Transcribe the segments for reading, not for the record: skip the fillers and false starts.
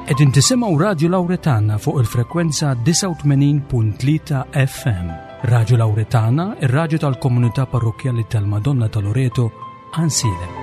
Qegħdin tisimgħu Radju Lawretana fuq il-frekwenza 89.3 FM. Radju Lawretana, ir-radju tal-komunità parrokkjali tal-Madonna ta' Loreto, Ansilem.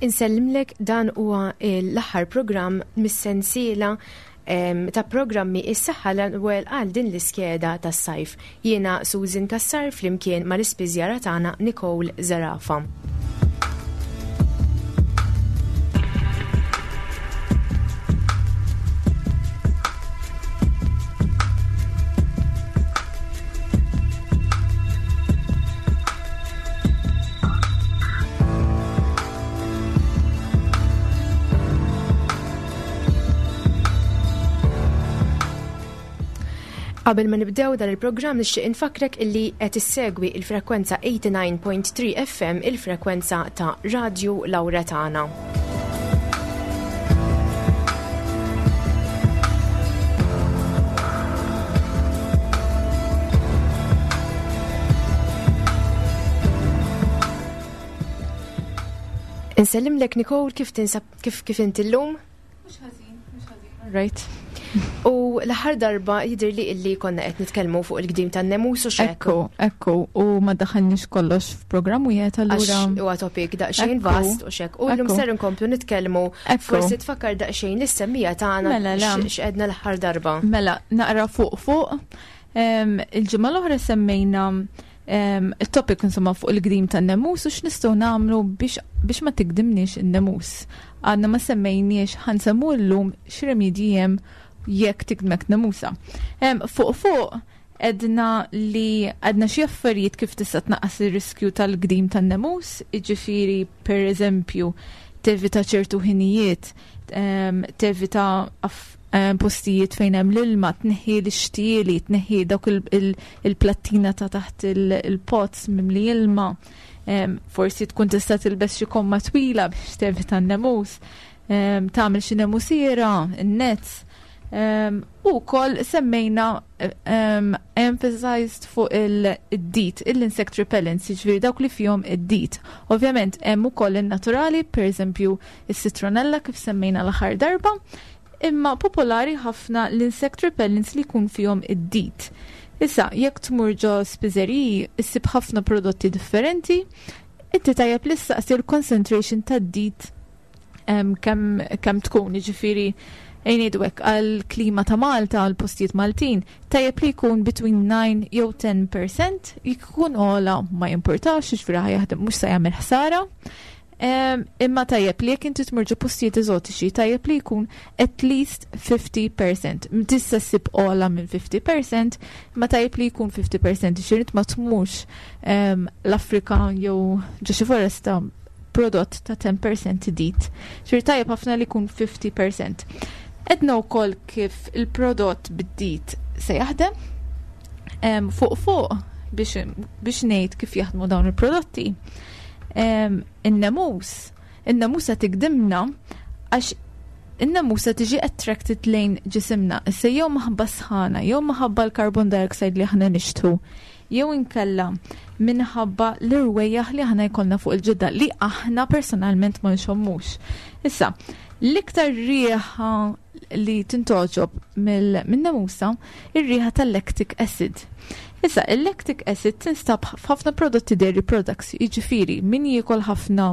Insellimlek dan huwa l-aħħar programm mis-sensiela ta' programmi Is-Saħħa l-ewwel għal din l-iskeda tas-sajf. Jiena Susan Cassar flimkien mal-ispiżjara tagħna Nicole Zerafa. Qabel ma nibdew dan il-programm nixtieq infakrek illi qed issegwi il-frekwenza 89.3 FM il-frekwenza ta' Radju Lauretana. Insellimlek Nicole kif tinsab kif kif inti llum? Mhux ħażin, mhux ħażin. Right. U l-aħħar darba jidher li illi konna qed nitkellmu fuq il-gdim tan-nemus u xekk. Ekku, ekku, u ma daħalniex kollox f'programm wieħed allura. Huwa topic daqsxejn vast u xekk. U llum ser inkomplu nitkellmu forsi tfakkar daqsxejn lis-semmija tagħna mela, x'qedna l-aħħar darba. Mela, naqra fuq fuq. Il-ġimgħa l-oħra semmejna il-topic insomma fuq il-gdim tan-nemus u x'nistgħu nagħmlu biex ma tigdimniex in-nemus. Għadna ma semmejniex ħansemmu llum x'remedji hemm jekk tigdmek nemusa. Fuq fuq edna li għedna xi affarijiet kif tista' tnaqqas ir-riskju tal-gdim tan-nemus, jiġifieri per eżempju tevita ċertu ħinijiet, tevita postijiet fejn hemm l-ilma, tneħħi l-ixtieli, tneħħi dawk il-plattina ta' taħt il-pots mimli ilma. Forsi tkun tista' tilbes xi komma twila biex tevita n-nemus, tagħmel xi nemusiera, in-nets. U wkoll semmejna emphasized fuq il-DEET, il-insect repellents, jiġifieri dawk li fihom id-DEET. Ovvjament hemm ukoll in-naturali, pereżempju is-citronella kif semmejna l-aħħar darba, imma popolari ħafna l-insect repellents li jkun fihom id-DEET. Issa, jekk tmur ġo spiżeriji, issib ħafna prodotti differenti, inti tajjeb li ssaqsi l-concentration tad-DEET kemm tkun, jiġifieri ngħidu hekk għall-klima ta' Malta, għall postijiet Maltin, tajjeb li jkun between 9 jew 10%, jekk ikun ogħla ma jimpurtax, jiġifieri ħa jaħdem mhux se jagħmel ħsara. Imma tajjeb li jekk inti tmur ġo postijiet eżotiċi, tajjeb li jkun at least 50%. Tista' ssib ogħla minn 50%, imma tajjeb li jkun 50%, jiġifieri ma tmurx l-Afrika jew ġo xi foresta prodott ta' 10% DEET. Ġifieri tajjeb ħafna li jkun 50%. Edna wkoll kif il-prodott bid-DEET se jaħdem. Fuq fuq biex ngħid kif jaħdmu dawn il-prodotti. In-nemus, in-nemusa tigdimna għax In-nemusa tiġi attracted lejn ġisimna, issa jew maħabba sħana, jew maħabba l-carbon dioxide li aħna nixtħu, jew inkella minħabba l-irwejjaħ li aħna jkollna fuq il-ġilda li aħna personalment ma nxommux. Issa, l-iktar riħa li tintgħoġob min-nemusa ir-riħa tal-lactic acid. Issa, il-lactic acid tinstab f'ħafna prodotti dairy products, jiġifieri min jiekol ħafna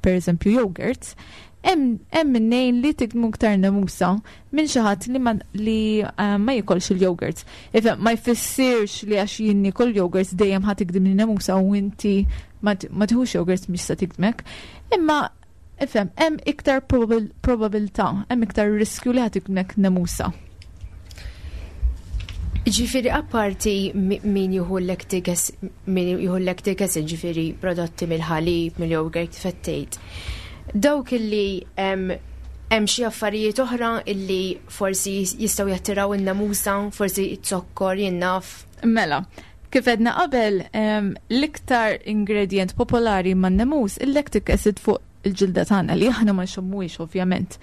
per eżempju yogurts, hemm minnejn li tigdmu iktar nemusa minn xi ħadd li ma li eh, ma jikolx il-yogurts. Ifhem ma jfissirx li għax jien niekol yogurts dejjem ħa tigdimni nemusa u inti ma tieħux yogurts mhix se tigdmek. Imma ifhem hemm iktar probabilità, hemm iktar riskju li ħa tigdmek nemusa. Ġifiri, apparti min juhu l-lactic min juhu l-lactic acid, ġifiri prodotti mill-ħalib, mill-yogurt, fettejt. Dawk illi hemm xi affarijiet oħra illi forsi jistgħu jattiraw in-namusa, forsi z-zokkor, jien naf. Mela, kif għedna qabel, l-iktar ingredient popolari man-nemus, il-lactic acid fuq il-ġilda tagħna li aħna ma nxommuhiex ovvjament.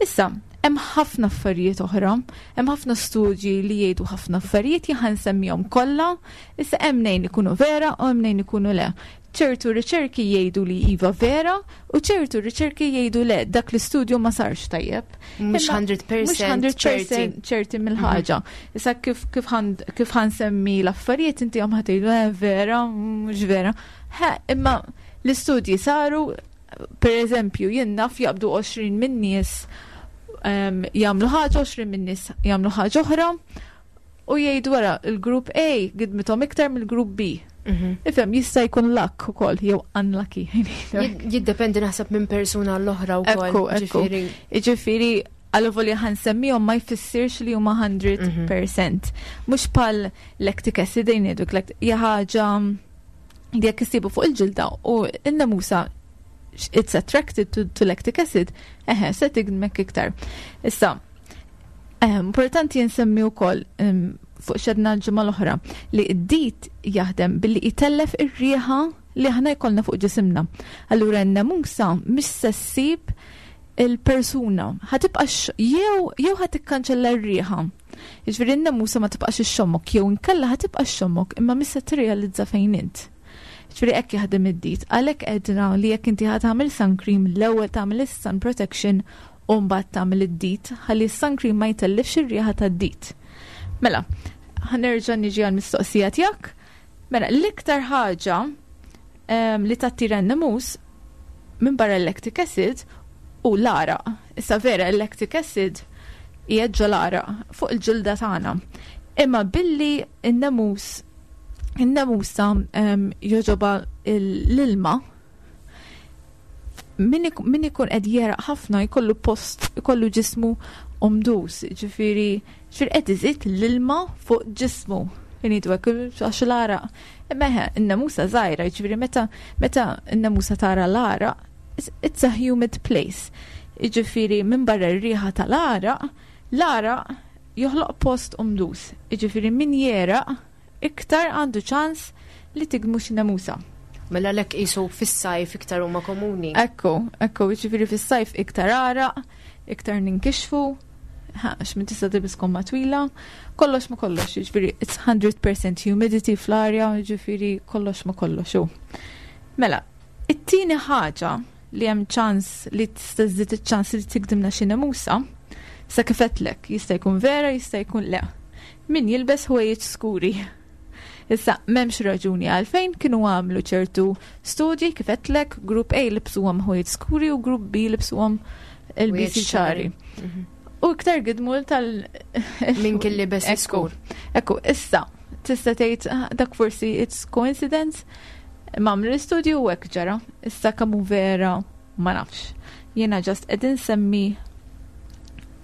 Issa, hemm ħafna affarijiet oħra, hemm ħafna studji li jgħidu ħafna affarijiet jien nsemmihom kollha, issa hemm nejn ikunu vera u hemm nejn ikunu le. ċertu riċerki jgħidu li iva vera u ċertu riċerki jgħidu le dak l-istudju ma sarx tajjeb. Mhux 100% ċerti. ċerti mill-ħaġa. Issa kif kif kif ħa nsemmi l-affarijiet inti għam ħa tgħidu eh, vera, mhux vera. Imma l-istudji saru, per eżempju, jien naf jaqbdu 20 minn nies jagħmlu ħaġa, 20 minn nies jagħmlu ħaġa oħra, u jgħidu wara il-grupp A gidmithom iktar mill-grupp B. Ifhem, jista' jkun luck ukoll jew unlucky. Jiddependi naħseb minn persuna l-oħra wkoll. Ekku, ekku. Jiġifieri għal ħa nsemmihom ma jfissirx li huma 100%. Mhux bħal lactic acid ngħidu hija ħaġa li jekk issibu fuq il-ġilda u n-nemusa it's attracted to lactic acid, eħe, se tigdmek iktar. Issa, importanti nsemmi wkoll fuq x'għedna l-ġimgħa l-oħra li d-DEET jaħdem billi jtellef ir-riħa li aħna jkollna fuq ġisimna. Allura n-nemusa mhix se ssib il-persuna, ħa tibqa jew jew ħa tikkanċella r-riħa. Jiġifieri n-nemusa ma tibqax ixxommok jew inkella ħa tibqa' xxommok imma mhix se tirrealizza fejn int. Ġifieri hekk jaħdem id-DEET. Għalhekk għedna li jekk inti ħa tagħmel sun cream l-ewwel tagħmel is-sun protection u mbagħad tagħmel id-DEET ħalli s-sun cream ma jtellifx ir-riħa tad-DEET. Mela, ħa nerġa' niġi għall-mistoqsija tiegħek. Mela, l-iktar ħaġa li tattira n-nemus minn barra l-lactic acid u l-għaraq. Issa vera l-lactic acid hija ġo l-għaraq fuq il-ġilda tagħna. Imma billi n-nemus in-nemusa jogħġobha l-ilma, min ikun qed jegħraq ħafna jkollu post, jkollu ġismu umdus, ġifieri ġifieri qed iżid l-ilma fuq ġismu. Jgħidu hekk għax l-għaraq. Imma eħe, in-nemusa żgħira, ġifieri meta meta n-nemusa tara l-għaraq, it's a humid place. Jiġifieri minn barra r-riħa tal-għaraq, l-għaraq joħloq post umdus. Jiġifieri min jegħraq iktar għandu ċans li tigdmu xi nemusa. Mela lek qisu fis-sajf iktar huma komuni. Ekku, ekku, jiġifieri fis-sajf iktar għaraq, iktar ninkixfu, għax min tista' tilbis komma twila, kollox ma kollox, jiġifieri it's 100% humidity fl-arja, jiġifieri kollox ma kollox hu. Mela, it-tieni ħaġa li hemm ċans li tista' żżid iċ-ċans li tigdimna xi nemusa, sa kif għedtlek, jista' jkun vera, jista' jkun le. Min jilbes ħwejjeġ skuri. Issa, m'hemmx raġuni għalfejn kienu għamlu ċertu studji kif għedtlek, grupp A libsuhom ħwejjeġ skuri u grupp B libsuhom ilbiesi ċari. U iktar gidmu tal Min kien libes skur. Ekku, issa, tista' tgħid ah, dak forsi it's coincidence, ma għamlu l-istudju u hekk ġara. Issa kemm hu vera ma nafx. Jiena just qed insemmi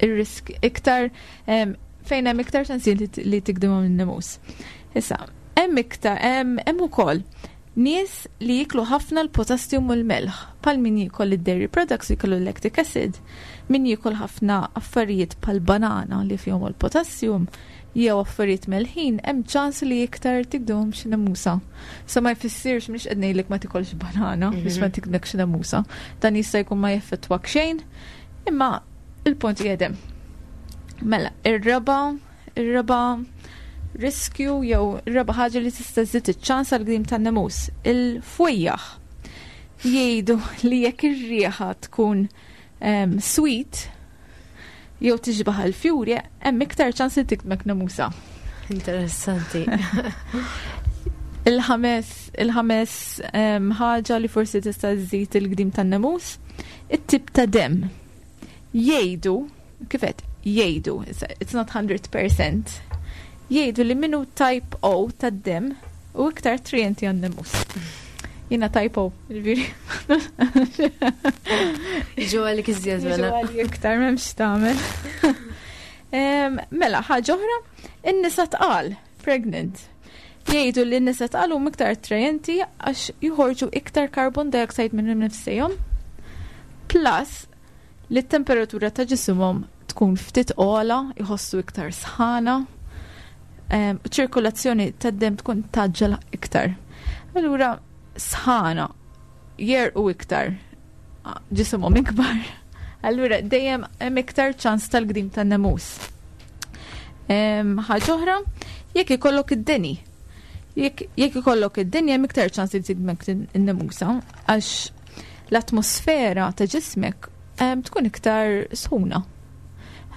ir-risk iktar fejn hemm iktar ċansi li tigdimhom in-nemus. Issa, hemm iktar hemm ukoll nies li jiklu ħafna l-potassium u l-melħ, bħal min jiekol id-dairy products jiklu l-lactic acid, min jiekol ħafna affarijiet bħal banana li fihom il-potassium, jew affarijiet melħin, hemm ċans li iktar tigdimhom xi nemusa. So ma jfissirx mhix qed ngħidlek ma tikolx banana biex ma tigdmek xi nemusa. Dan jista' jkun ma jeffettwak xejn. Imma il-punt jedem. Mela, ir-raba, ir-raba riskju jew ir-raba ħaġa li tista' żżid iċ-ċans għal gdim tan-nemus, il-fwejjaħ. Jgħidu li jekk ir-riħa tkun um, sweet jew tixbaħ il-fjuri, hemm iktar ċans li tikmek nemusa. Interessanti. Il-ħames il-ħames ħaġa li forsi tista' żżid il-gdim tan-nemus, it-tip ta' dem. Jgħidu, kif qed jgħidu, it's not 100%, jgħidu li minu type O tad-dem u iktar attrajenti għan-nemus. Jiena type O, ġifieri. Jiġu għalik iżjed mela. Jiġu għalik iktar m'hemmx tagħmel. Mela, ħaġa oħra, in-nisa tqal, pregnant. Jgħidu li n-nisa tqal huma iktar attrajenti għax joħorġu iktar carbon dioxide minn nifsejhom. Plus li t-temperatura ta' ġisimhom tkun ftit ogħla, jħossu iktar sħana, u ċirkolazzjoni tad-demm tkun taġġel iktar. Allura sħana jerqu iktar ġisimhom ikbar. Allura dejjem hemm iktar ċans tal-gdim tan-nemus. Ħaġa oħra, jekk ikollok id-deni. Jekk ikollok id-deni hemm iktar ċans li tigmek in-nemusa għax l-atmosfera ta' ġismek tkun iktar sħuna.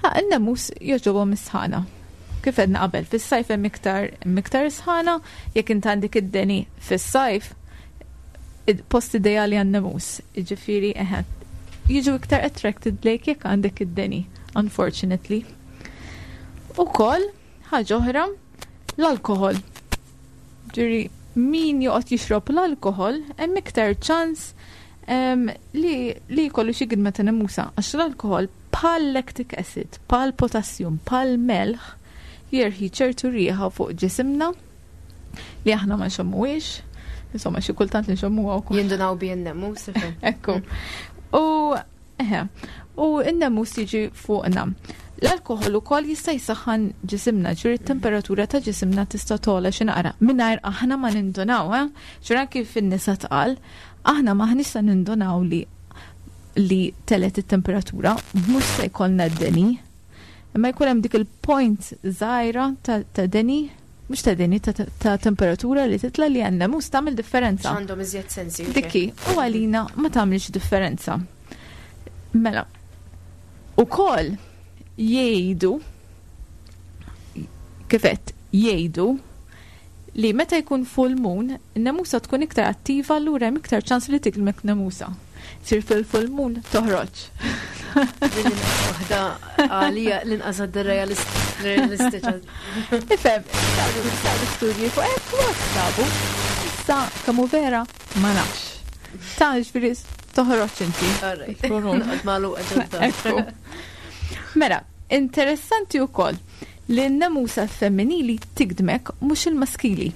In-nemus jogħġobhom is-sħana. Kif għedna qabel, fis-sajf hemm iktar iktar sħana, jekk int għandek id-deni fis-sajf, post ideali għan-nemus, jiġifieri eħe, jiġu iktar attracted lejk jekk għandek id-deni, unfortunately. Ukoll, ħaġa oħra, l-alkohol. Ġifieri min joqgħod jixrob l-alkohol hemm iktar ċans li li jkollu xi gidma ta' nemusa għax l-alkohol bħal lactic acid, bħal potassium, bħal melħ jerħi ċertu riħa fuq ġisimna li aħna ma nxommuhiex. Insomma, xi kultant li nxommuha wkoll. Jindunaw bi n-nemus. Ekku. U Eħe, u n-nemus jiġi fuqna. L-alkoħol ukoll jista' jsaħħan ġisimna, ġifieri t-temperatura ta' ġisimna tista' togħla xi naqra mingħajr aħna ma nindunaw, eh? Ġifieri anki fin-nisa tqal, aħna m'aħniex se nindunaw li li telet it-temperatura, mhux se jkollna d-deni. Imma jkun hemm dik il-point żgħira ta' deni, mhux ta' deni, ta' temperatura li titla' li għandna mhux tagħmel differenza. Għandhom iżjed sensi. Dikki, u għalina ma tagħmilx differenza. Mela, ukoll jgħidu kif qed jgħidu li meta jkun full moon, in-nemusa tkun iktar attiva allura hemm iktar ċans li tiklmek nemusa. Sir fil-full moon toħroġ. Waħda għalija l-inqas għadda realistiċa. Ifhem, saru studji fuq hekk u sabu. Issa kemm hu vera ma nafx. Ta' ġifieri toħroġ inti. Mela, interessanti wkoll li n-nemusa femminili tigdmek mhux il-maskili.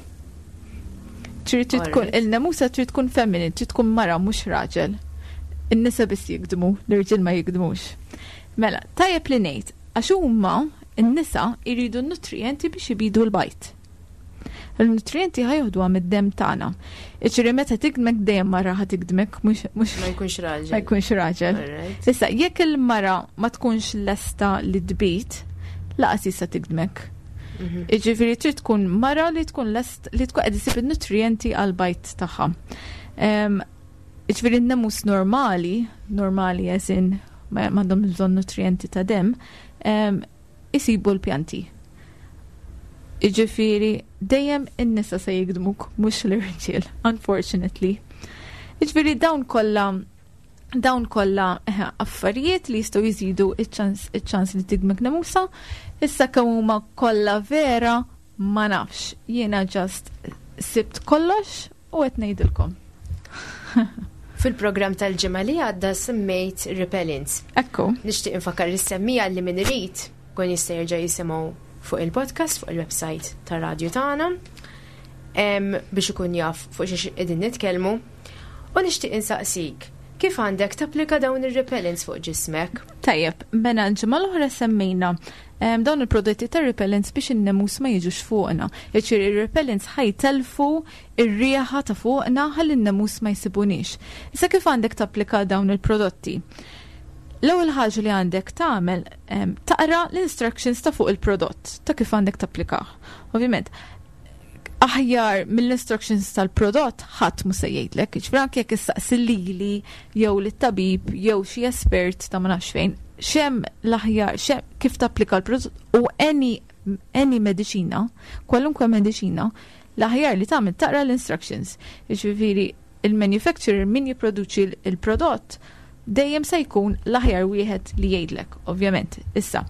Trid tkun il-nemusa trid tkun femminili, trid tkun mara mhux raġel. In-nisa biss jigdmu, l-irġiel ma jigdmux. Mela, tajjeb li ngħid, għax huma n-nisa jridu n-nutrijenti biex ibidu l-bajd. Il-nutrijenti ħa joħduha mid-demm tagħna. Iġri meta tigdmek dejjem mara ħa tigdmek mhux ma jkunx raġel. Ma jkunx raġel. Issa jekk il-mara ma tkunx lesta li tbid, laqas jista' tigdmek. Mhm. Iġifieri trid tkun mara li tkun lest li tkun qed isib in-nutrijenti għal bajt tagħha. Iġifieri n-nemus normali, normali as in m'għandhom bżonn nutrijenti ta' demm, isibu l-pjanti. Iġifieri dejjem in-nisa se jigdmuk mhux l-irġiel, unfortunately. Iġifieri dawn kollha dawn kollha eh, affarijiet li jistgħu jżidu iċ-ċans li tigmek nemusa, issa kemm huma kollha vera ma nafx. Jiena just sibt kollox u qed ngħidilkom. Fil-programm tal-ġimgħa li għadda semmejt repellents. Ekku. Nixtieq infakkar lis-semmija li min irid kun jista' jerġa' jisimgħu fuq il-podcast fuq il-website tar-radju tagħna biex ikun jaf fuq xiex qegħdin nitkellmu. U nixtieq insaqsik, kif għandek tapplika dawn ir-repellents fuq ġismek? Tajjeb, mela l-ġimgħa l-oħra semmejna dawn il-prodotti ta' repellents biex in-nemus ma jiġux fuqna. Jiġifieri ir-repellents ħajtelfu ir-riħa ta' fuqna ħalli n-nemus ma jsibuniex. Issa kif għandek tapplika dawn il-prodotti? L-ewwel ħaġa li għandek tagħmel taqra l-instructions ta' fuq il-prodott ta' kif għandek tapplikah. Ovvjament, aħjar mill-instructions tal-prodott ħadd mhu se jgħidlek, jiġifieri anke jekk issaqsi lili jew lit-tabib jew xi espert ta' ma nafx fejn, x'hemm l-aħjar, kif tapplika l-prodott u any mediċina, kwalunkwe mediċina, l-aħjar li tagħmel taqra l-instructions. Jiġifieri il-manufacturer min jipproduċi il-prodott dejjem se jkun l-aħjar wieħed li jgħidlek, ovvjament. Issa,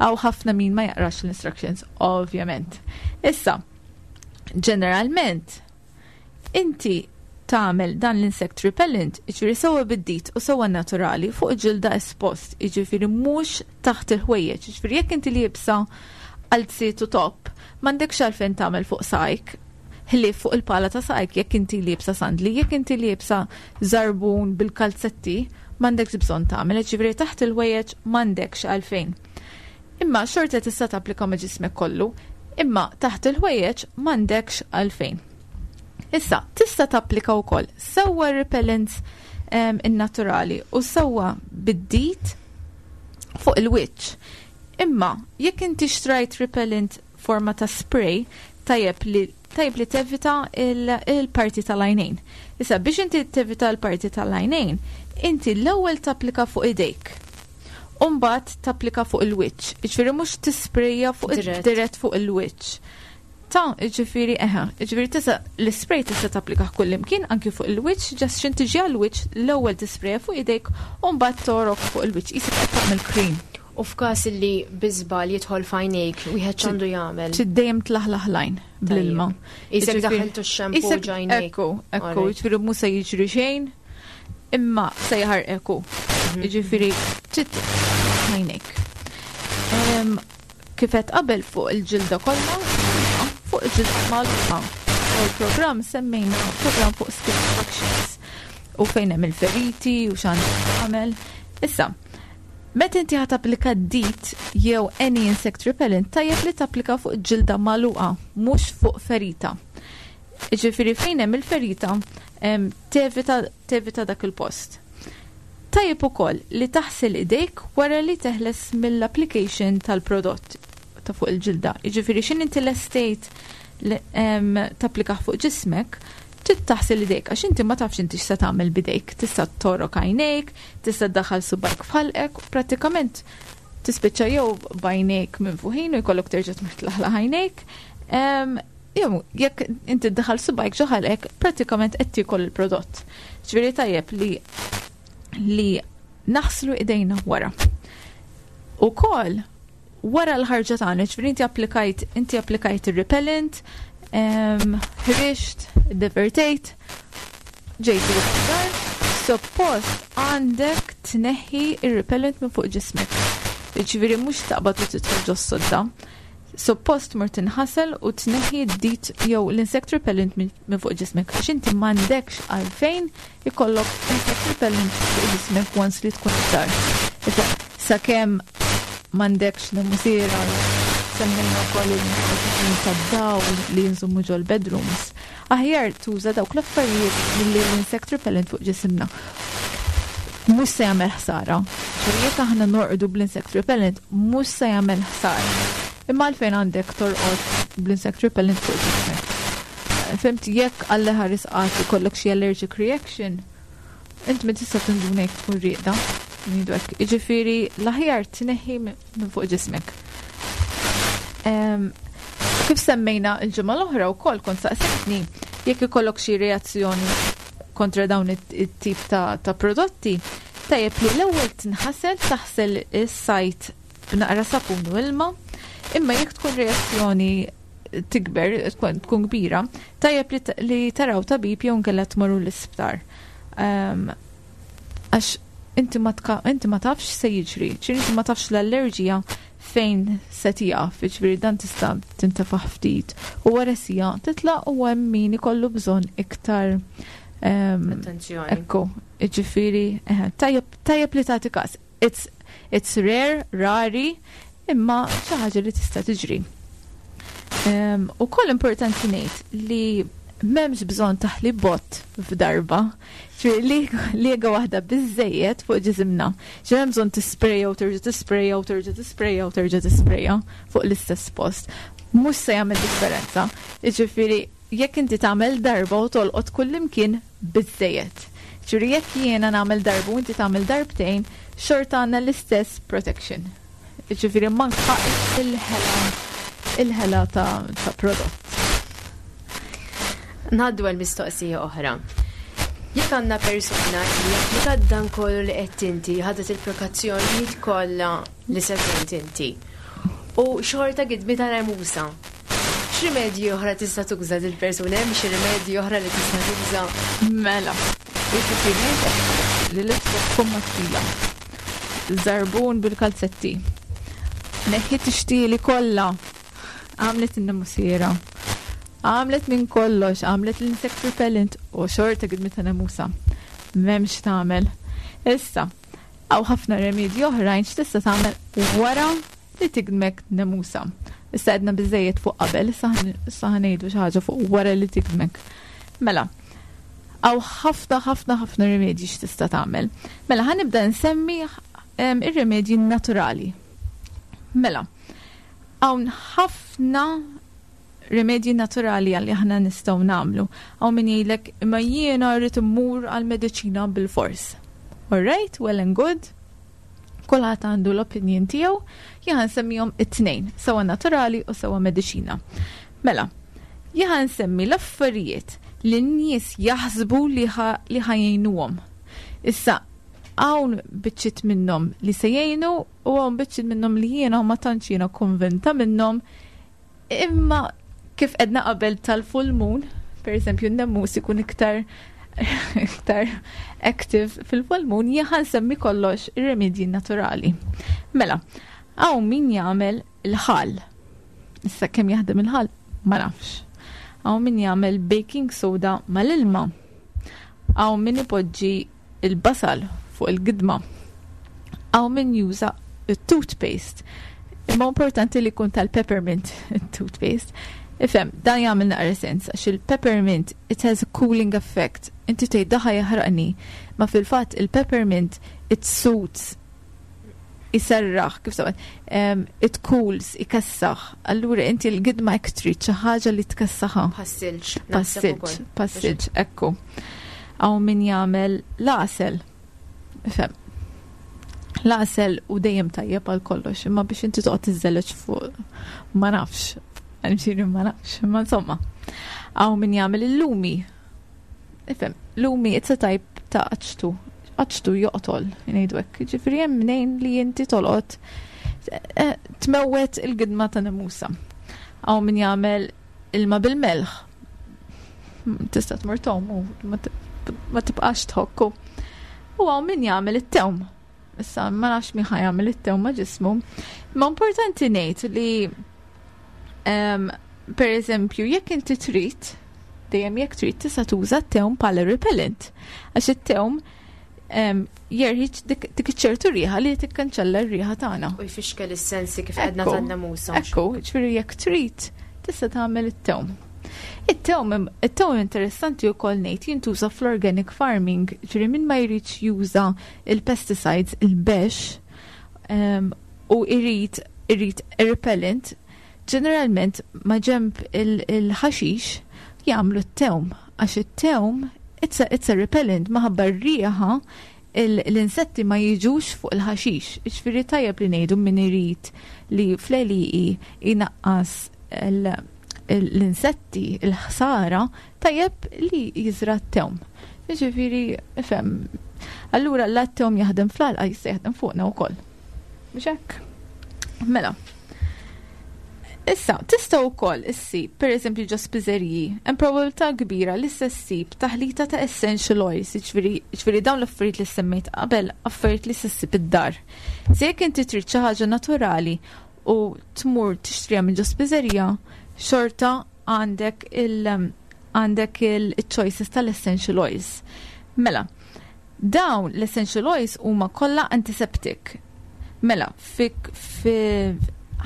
hawn ħafna min ma jaqrax l-instructions, ovvjament. Issa, ġeneralment, inti tagħmel dan l-insect repellent, jiġifieri sewwa bid-DEET u sewwa naturali fuq ġilda espost, jiġifieri mhux taħt il-ħwejjeġ, jiġifieri jekk inti liebsa qalziet u top, m'għandekx għalfejn tagħmel fuq saqajk, ħlief fuq il-pala ta' saqajk jekk inti liebsa sandli, jekk inti liebsa żarbun bil-kalzetti, m'għandekx bżonn tagħmel, jiġifieri taħt il-ħwejjeġ m'għandekx għalfejn. Imma xorta tista' tapplika ma' ġismek kollu, imma taħt il-ħwejjeġ m'għandekx għalfejn. Issa, tista' tapplika wkoll sewwa repellents in-naturali u sewwa bid-DEET fuq il-wiċċ. Imma jekk inti xtrajt repellent forma ta' spray, tajjeb li tevita il-parti tal-għajnejn. Issa, biex inti tevita l-parti tal-għajnejn, inti l-ewwel tapplika fuq idejk. U mbagħad tapplika fuq il-wiċċ. Jiġifieri mhux tisprejja fuq dirett fuq il-wiċċ. Ta' jiġifieri eħe, jiġifieri tista' l-spray tista' tapplika kull imkien anki fuq il-wiċċ, just x'ħin tiġi għall-wiċċ l-ewwel tisprejja fuq idejk u mbagħad togħrok fuq il-wiċċ. Qisek qed tagħmel cream. U f'każ li bi żball jidħol f'għajnejk, wieħed x'għandu jagħmel? Trid dejjem tlaħlaħ l-għajn bl-ilma. Qisek daħħaltu x-shampoo ġ'għajnejk. Ekku, jiġifieri mhux se jiġri xejn, imma se jaħarqek. Jiġifieri trid għajnejk. Kif qed qabel fuq il-ġilda kollha, fuq il-ġilda magħluqa. U l-programm semmejna program fuq skin infections u fejn hemm il-feriti u x'għandek tagħmel. Issa, meta inti ħa tapplika DEET jew any insect repellent, tajjeb li tapplika fuq ġilda magħluqa, mhux fuq ferita. Jiġifieri fejn hemm il-ferita, tevita dak il-post. Tajjeb ukoll li taħsel idejk wara li teħles mill-application tal-prodott ta' fuq il-ġilda. Jiġifieri x'ħin inti lestejt tapplika fuq ġismek, trid taħsel idejk għax inti ma tafx inti x'se tagħmel bidejk. Tista' togħrok għajnejk, tista' ddaħħal subgħajk f'ħalqek, u prattikament tispiċċa jew b'għajnejk minfuħin u jkollok terġa' tmur tlaħlaħ għajnejk. Jew jekk inti ddaħħal subgħajk ġo ħalqek, prattikament qed tiekol il-prodott. Ġifieri tajjeb li naħslu idejna wara. Ukoll wara l-ħarġa tagħna, ġifieri inti applikajt ir-repellent, ħriġt, divertejt, ġejt dar, suppost għandek tneħħi ir-repellent minn fuq ġismek. Ġifieri mhux taqbad u tidħol ġos-sodda. Suppost mur tinħasel u tneħħi d-DEET jew l-insect repellent minn fuq ġismek. Għax inti m'għandekx għalfejn ikollok insect repellent fuq ġismek once li tkun id-dar. Issa, sakemm m'għandekx nemusiera, semmejna wkoll il-ħin tad-dawl li jinżommu ġol-bedrooms. Aħjar tuża dawk l-affarijiet milli l-insect repellent fuq ġisimna. Mhux se jagħmel ħsara. Ġifieri jekk aħna norqdu bl-insect repellent, mhux se jagħmel ħsara. Imma għalfejn għandek torqod bl-insect repellent fuq ġismek? Fhimt, jekk Alla ħares qatt ikollok xi allergic reaction, int ma tista' tinduna jekk tkun rieqda. Ngħidu hekk. Jiġifieri l-aħjar tneħħi minn fuq ġismek. Kif semmejna l-ġimgħa l-oħra wkoll kont saqsejtni jekk ikollok xi reazzjoni kontra dawn it-tip ta' prodotti, tajjeb li l-ewwel tinħasel, taħsel is-site b'naqra sapun u ilma, imma jekk tkun reazzjoni tikber, tkun kbira, tajjeb li taraw tabib jew nkella tmorru l-isptar. Għax inti ma tafx se jiġri, ġifieri inti ma tafx l-allerġija fejn se tieqaf, ġifieri dan tista' tintefaħ ftit u wara siegħa titlaq u hemm min ikollu bżonn iktar Attenzjoni. Ekku, ġifieri, tajjeb li tagħti każ. It's rare, rari, imma xi ħaġa li tista' tiġri. U koll importanti ngħid li M'hemmx bżonn taħli bott f'darba. Ġifieri liega waħda biżejjed fuq ġisimna. Ġifieri hemm bżonn tisprejja u terġa' tisprejja u terġa' tisprejja u terġa' tisprejja fuq l-istess post. Mhux se jagħmel differenza. Jiġifieri jekk inti tagħmel darba u tolqot kullimkien biżejjed. Ġifieri jekk jiena nagħmel darba u inti tagħmel darbtejn, xorta għandna l-istess protection. Jiġifieri manka il-ħela il-ħela ta', ta prodott. Ngħaddu għal mistoqsija oħra. Jekk għandna persuna li applikat dan kollu li qed inti, ħadet il-prekazzjonijiet kollha li semmejt inti. U xorta gidmitha nemusa. X'rimedji oħra tista' tuża dil persuna hemm xi rimedji oħra li tista' tuża? Mela, jiġifieri li libsa tkun mattila. Żarbun bil-kalzetti. Neħħiet ix-xtieli kollha. Għamlet in-nemusiera. Għamlet minn kollox, għamlet l-insect repellent u xorta gidmitha nemusa. M'hemmx tagħmel. Issa, hawn ħafna remedji oħrajn x'tista' tagħmel wara li tigdmek nemusa. Issa għedna biżejjed fuq qabel, issa ħa ngħidu xi ħaġa fuq wara li tigdmek. Mela, hawn ħafna ħafna ħafna rimedji x'tista' tagħmel. Mela ħa nibda nsemmi ir-rimedji naturali. Mela, hawn ħafna rimedji naturali għalli aħna nistgħu nagħmlu. Hawn min jgħidlek imma jiena rrid immur għal-mediċina bil-fors. Alright, well and good. Kulħadd għandu l-opinion tiegħu, jien nsemmihom it-tnejn, sewa naturali u sewa mediċina. Mela, jien nsemmi l-affarijiet li n-nies jaħsbu li ħa jgħinuhom. Issa, hawn biċċiet minnhom li se jgħinu u hawn biċċiet minnhom li jiena ma tantx jiena konvinta minnhom. Imma kif għedna qabel tal-full moon, per eżempju, n-nemus ikun iktar iktar active fil-full moon, jien ħa nsemmi kollox ir-remedji naturali. Mela, hawn min jagħmel il-ħall. Issa kemm jaħdem il-ħall, ma nafx. Hawn min jagħmel baking soda mal-ilma. Hawn min ipoġġi il-basal fuq il-gidma. Hawn min juża il-toothpaste. Imma importanti li jkun tal-peppermint il-toothpaste. Ifhem, dan jagħmel naqra sens għax il-peppermint it has a cooling effect. Inti tgħid dan ħa jaħraqni, ma fil-fatt il-peppermint it soothes iserraħ, kif sewwa, it cools, ikessaħ. Allura inti l-gidma hekk trid xi ħaġa li tkessaħha. Bħas-silġ. Bħas-silġ, bħas-silġ, ekku. Hawn min jagħmel l-għasel. Ifhem. L-għasel u dejjem tajjeb għal kollox, imma biex inti toqgħod tiżżeleġ fuq ma nafx. Għalxiri ma nafx, imma insomma. Hawn min jagħmel il-lumi. Ifhem, lumi it's a type ta' aċtu. Aċtu joqtol, ngħidu hekk. Ġifieri hemm mnejn li inti tolqot tmewwet il-gidma ta' nemusa. Hawn min jagħmel ilma bil-melħ. Tista' tmur tgħum u ma tibqax tħokku. U hawn min jagħmel it-tewm. Issa ma nafx min ħa jagħmel it-tewm ma' ġismu. Ma importanti ngħid li per eżempju jekk inti trid, dejjem jekk trid tista' tuża t-tewm bħala repellent. Għax it-tewm jerħi dik iċ-ċertu riħa li tikkanċella r-riħa tagħna. U jfixkel is-sensi kif għedna tan-nemusa. Ekku, ġifieri jekk trid tista' tagħmel it-tewm. It-tewm interessanti wkoll ngħid jintuża fl-organic farming, ġifieri min ma jridx juża il-pesticides, il-bex, u irid repellent, ġeneralment ma ġemb il-ħaxix jagħmlu t-tewm, għax it-tewm it's a repellent, minħabba r-riħa l-insetti ma jiġux fuq il-ħaxix. Ġifieri tajjeb li ngħidu min irid li fl-għelieqi inaqqas l-insetti, il-ħsara, tajjeb li jiżra t-tewm. Ġifieri, ifhem, allura l-tewm jaħdem fl-għalqa jista' jaħdem fuqna wkoll. Mhux hekk? Mela. Issa, tista' wkoll issib, per eżempju ġo spiżeriji, hemm probabilità kbira li se ssib taħlita ta' essential oils, ġifieri dawn l-affarijiet li semmejt qabel, affarijiet li se ssib id-dar. Se jekk inti trid xi ħaġa naturali u tmur tixtriha minn ġo spiżerija, xorta għandek il-choices tal-essential oils. Mela, dawn l-essential oils huma kollha antiseptic. Mela, fik fi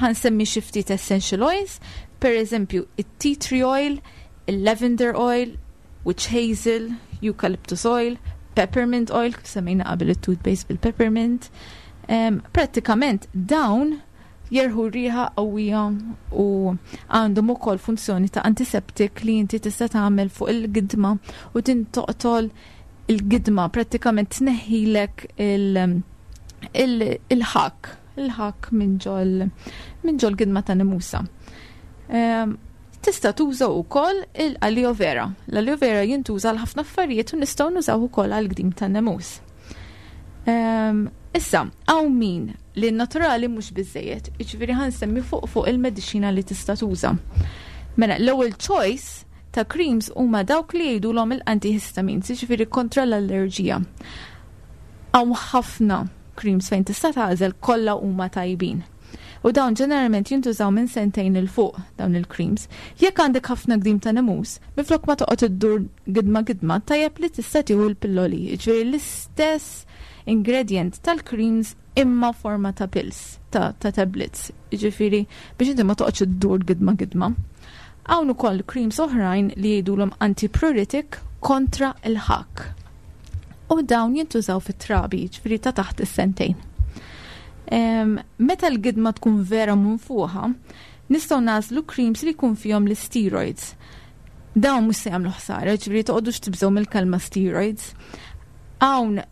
ħa nsemmi xi ftit essential oils, per eżempju, it-tea tree oil, Il-lavender oil, witch hazel, eucalyptus oil, peppermint oil, kif semmejna qabel it-toothpaste bil-peppermint. Prattikament dawn jerħu riħa qawwija u għandhom ukoll funzjoni ta' antiseptik li inti tista' tagħmel fuq il-gidma u din toqtol il-gidma prattikament tneħħilek il-ħakk il-ħakk minn ġol minn ġol gidma ta' nemusa. Tista' tuża wkoll il-aloe vera. L-aloe vera jintuża għal ħafna affarijiet u nistgħu nużaw ukoll għal gdim tan-nemus. Issa, hawn min li naturali mhux biżejjed, jiġifieri ħa nsemmi fuq fuq il-mediċina li tista' tuża. Mela, l-ewwel choice ta' creams huma dawk li jgħidulhom il-antihistamines, jiġifieri kontra l-allerġija. Hawn ħafna creams fejn tista' tagħżel kollha huma tajbin. U dawn ġeneralment jintużaw minn sentejn 'il fuq dawn il-creams. Jekk għandek ħafna gdim ta' nemus, minflok ma toqgħod iddur gidma gidma, tajjeb li tista' tieħu l-pilloli, jiġifieri l-istess ingredient tal-creams imma forma ta' pills, ta', ta tablets, jiġifieri biex inti ma toqgħodx iddur gidma gidma. Hawn ukoll creams oħrajn li jgħidulhom antipruritic kontra l-ħakk. U dawn jintużaw fit-trabi, ġifieri ta' taħt is-sentejn. Meta l-gidma tkun vera munfuħa, nistgħu nagħżlu creams li jkun fihom l-steroids. Dawn mhux se jagħmlu ħsara, ġifieri toqgħodux tibżgħu mill-kelma steroids. Hawn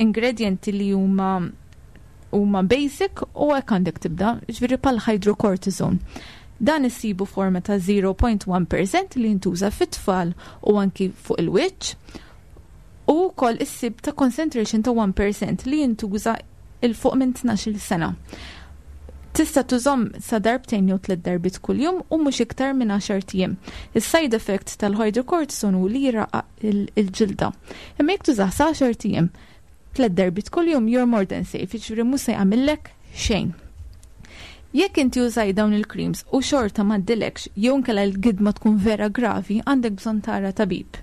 ingredienti li huma huma basic u hekk għandek tibda, ġifieri bħal hydrocortisone. Dan issibu forma ta' 0.1% li jintuża fit-tfal u anki fuq il-wiċċ u wkoll issib ta' concentration ta' 1% li jintuża 'il fuq minn 12-il sena. Tista' tużhom sa darbtejn jew tliet darbiet kuljum u mhux iktar minn għaxart ijiem. Is-side effect tal-hydrocortisone hu li jraqqaq il-ġilda. Imma jekk tużah sa għaxart ijiem, tliet darbiet kuljum, you're more than safe, jiġifieri mhux se jagħmillek xejn. Jekk inti użajt dawn il-creams u xorta m'għaddilekx jew inkella l-gidma tkun vera gravi, għandek bżonn tara tabib.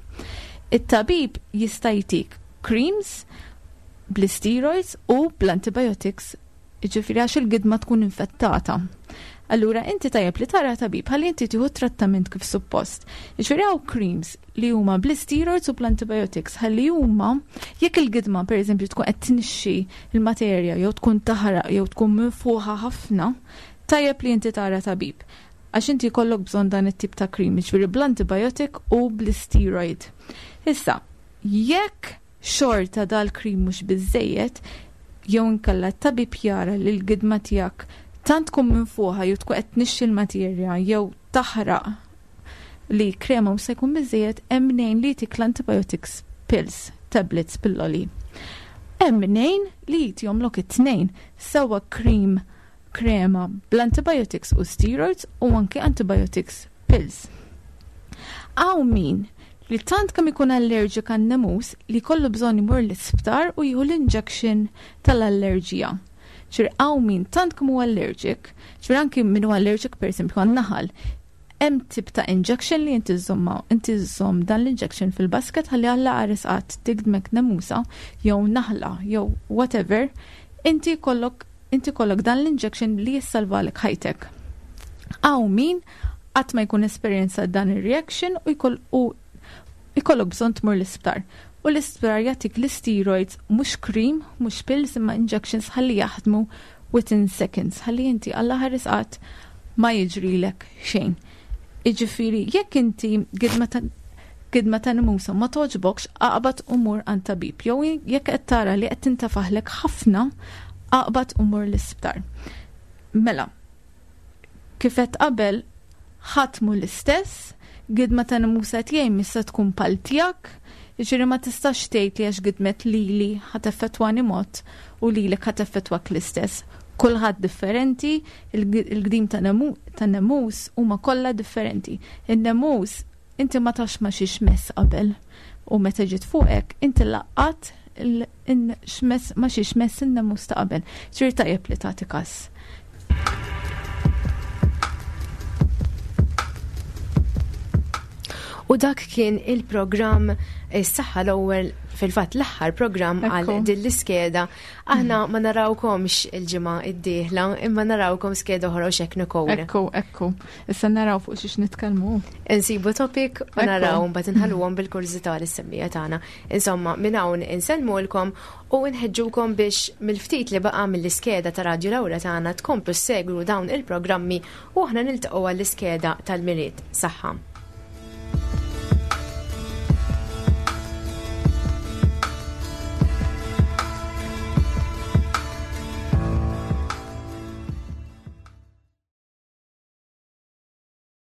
It-tabib jista' jtik creams bl-steroids u bl-antibiotics, jiġifieri għax il-gidma tkun infettata. Allura inti tajjeb li tara tabib ħalli inti tieħu trattament kif suppost. Jiġifieri hawn creams li huma bl-steroids u bl-antibiotics ħalli huma jekk il-gidma pereżempju tkun qed tnixxi l-materja jew tkun taħraq jew tkun minfuħa ħafna, tajjeb li inti tara tabib. Għax inti jkollok bżonn dan it-tip ta' cream, jiġifieri bl-antibiotic u bl-steroid. Issa, jekk xorta dal-cream mhux biżżejjed, jew inkella t-tabib jara li l-gidma tiegħek tant tkun minfuħa jew tkun qed tnixxi l-materja jew taħraq li krema mhux se jkun biżżejjed, hemm mnejn li jtik l-antibiotics pills, tablets, pilloli. Hemm mnejn li jtihomlok it-tnejn, sewwa cream krema bl-antibiotics u steroids u anke antibiotics pills. Hawn min li tant kemm ikun allergic għan-nemus li jkollu bżonn imur l-isptar u jieħu l-injection tal-allerġija. Ġifieri hawn min tant kemm huwa allergic, ġifieri anki min huwa allergic pereżempju għan-naħal, hemm tip ta' injection li inti żżommha, inti żżomm dan l-injection fil-basket ħalli Alla qares qatt tigdmek nemusa jew naħla jew whatever, inti jkollok inti jkollok dan l-injection li jissalvalek ħajtek. Hawn min qatt ma jkun esperjenza dan ir-reaction u jkoll u jkollok bżonn tmur l-isptar. U l-isptar jagħtik l-steroids mhux cream, mhux pills imma injections ħalli jaħdmu within seconds, ħalli inti Alla ħares qatt ma jiġrilek xejn. Jiġifieri jekk inti gidma ta' gidma ta' nemusa ma togħġbokx, aqbad u mur għand tabib. Jew jekk qed tara li qed tintafaħlek ħafna, aqbad u mur l-isptar. Mela, Kif għedt qabel, ħadd mhu l-istess, gidma ta' nemusa tiegħi mhix se tkun bħal tiegħek, jiġifieri ma tistax tgħid li għax gidmet lili ħa teffettwani mod u lilek ħa teffettwak l-istess. Kulħadd differenti, il-gdim ta' nemus huma kollha differenti. In-nemus inti ma tafx ma xiex mess qabel u meta ġiet fuqek inti laqqat x'mess ma xiex mess in-nemus ta' qabel. Ġifieri tajjeb li tagħti każ. U dak kien il-programm Is-Saħħa l-ewwel fil-fatt l-aħħar programm għal din l-iskeda. Aħna ma narawkomx il-ġimgħa d-dieħla, imma narawkom skeda oħra u xek nikol. Ekku, ekku. Issa naraw fuq xiex nitkellmu. Insibu topic u naraw mbagħad inħalluhom bil-kurżità lis-semmija tagħna. Insomma, minn hawn insellmulkom u nħeġġukom biex mill-ftit li baqa' mill-iskeda ta' Radju Lawra tagħna tkomplu ssegwu dawn il-programmi u aħna niltaqgħu għall-iskeda tal-Milied. Saħħa.